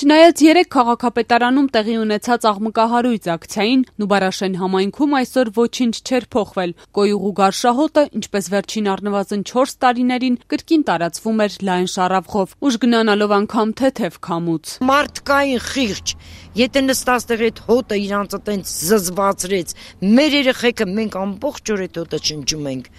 Չնայած 3 քաղաքապետարանում տեղի ունեցած աղմկահարույց ակցիային, Նուբարաշեն համայնքում այսօր ոչինչ չէր փոխվել։ Կոյուղու գարշահոտը, ինչպես վերջին առնվազն 4 տարիներին, կրկին տարածվում էր լայն շառավղով, ուժգնանալով անգամ թեթև քամուց։ Մարդկային խիղճ, եթե նստած տեղ այդ հոտը իրանց այտենց զզվացրեց, մեր երեխեքը մենք ամբողջ օր այդ հոտը շնչում ենք,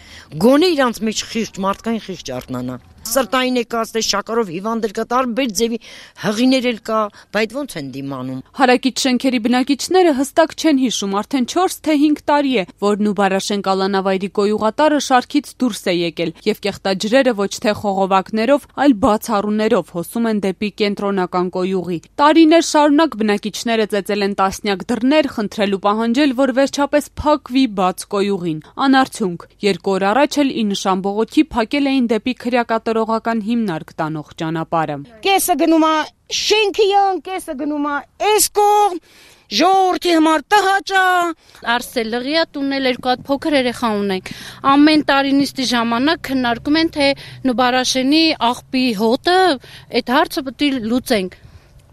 գոնե իրանց մեջ խիղճ, մարդկային խիղճ արթնանա։ Սրտային եկած շաքարով հիվանդել կա, տարբեր ձևի հղիներ էլ կա, բայց ոնց են դիմանում։ Հարակից շենքերի բնակիչները հստակ չեն հիշում, արդեն 4 թե 5 տարի է, որ Նուբարաշեն կալանավայրի կոյուղատարը շարքից դուրս է եկել, եւ կեղտաջրերը ոչ թե խողովակներով, այլ բացառուներով հոսում են դեպի կենտրոնական կոյուղի։ Տարիներ շարունակ բնակիչները ծեծել են տասնյակ դռներ, խնդրել ու պահանջել, որ վերջապես փակվի բաց կոյուղին։ Անարդյունք, 2 օր առաջ էլ ի նշան բողոքի փակել էին դեպի քրեակատարողական հիմնարկ տանող ճանապարհը։ Կեսը գնում է շենքի ան, կեսը գնում է այս կողմ, ժողովրդի համար տհաճա։ Արսելղիա տունել 2 հատ փոքր երեխա ունենք։ Ամեն տարի նիստի ժամանակ քննարկում են, թե Նուբարաշենի աղբի հոտը այդ հարցը պետք է լուծենք։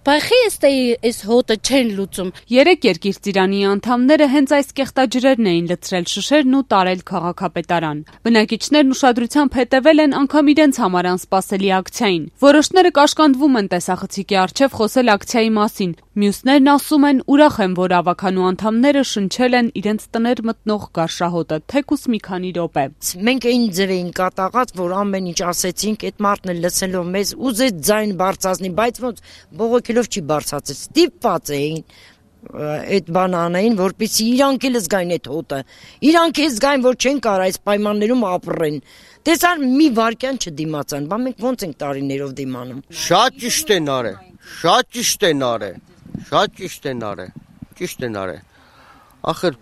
Բայց այս հոտը չեն լուծում։ 3 երկիր-ծիրանի անդամները հենց այս կեղտաջրերն էին լցրել շշերն ու տարել քաղաքապետարան։ Բնակիչներն ուշադրությամբ հետևել են անգամ իրենց համար անսպասելի ակցիային։ Որոշները կաշկանդվում են տեսախցիկի առջև խոսել ակցիայի մասին։ Մյուսներն ասում են ուրախ են, որ ավականու անդամները շնչել են իրենց տներ մտնող գարշահոտը, թեկուս մի քանի րոպե։ Մենք այն ձև էին կատաղած, որ ամեն ինչ ասեցինք, այդ մարդն էլ լսելով մեզ ուզեց ձայն բարձրացնի, բայց ոնց բողոքելով չի բարձրացել, ստիպված էին այդ բան անային, որպեսզի իրանք էլ զգային այդ հոտը, իրանք էլ զգային, որ չեն կարող այս պայմաններում ապրեն։ Տեսան մի վարքյան չդիմացան, բա մենք ոնց ենք տարիներով դիմանում։ Շատ ճիշտ են արել, շատ ճիշտ են արել, շատ ճիշտ են արել, ճիշտ են արել։ Ախր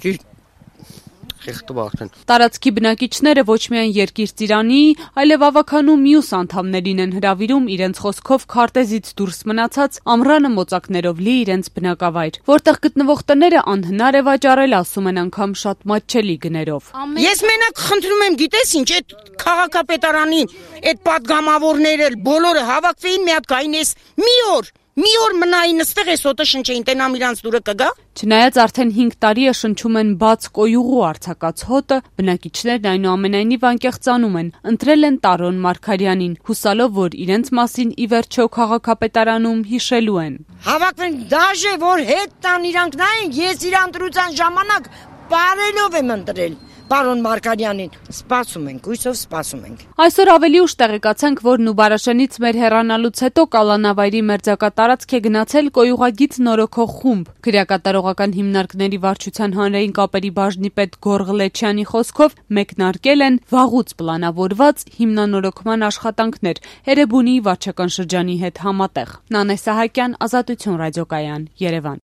ճիշտ Տարածքի բնակիչները ոչ միայն երկիր-ծիրանի, այլև ավականու մյուս անդամներին են հրավիրում իրենց խոսքով քարտեզից դուրս մնացած ամռանը մոծակներով լի իրենց բնակավայր, որտեղ գտնվող տները անհնար է վաճառել, ասում են անգամ շատ մատչելի գներով։ Ես մենակ խնդրում եմ, գիտես ինչ, այդ քաղաքապետարանի այդ պատգամավորները բոլորը հավաքվեին մի հատ գային էս մի օր մնային ստեղ էս հոտը շնչեին, տենամ իրանց դուրը կգա։ Չնայած արդեն 5 տարի է շնչում են բաց կոյուղու արձակած հոտը, բնակիչներն այնուամենայնիվ անկեղծանում են, ընտրել են Տարոն Մարգարյանին, հուսալով, որ իրենց մասին ի վերջո քաղաքապետարանում հիշելու են։ Հավաքվեն դաժե, որ հետ տան իրանք նայեն, ես իր ընտրության ժամանակ բարելով եմ ընտրել։ Պարոն Մարգարյանին, սպասում ենք, հույսով սպասում ենք։ Այսօր ավելի ուշ տեղեկացանք, որ Նուբարաշենից մեր հեռանալուց հետո կալանավայրի մերձակա տարածք է գնացել կոյուղագից նորոգող խումբ։ Քրեակատարողական հիմնարկների վարչության հանրային կապերի բաժնի պետ Գոռ Ղլեչյանի խոսքով մեկնարկել են վաղուց պլանավորված հիմնանորոգման աշխատանքներ Էրեբունի վարչական շրջանի հետ համատեղ։ Նանե Սահակյան, Ազատություն ռադիոկայան, Երևան։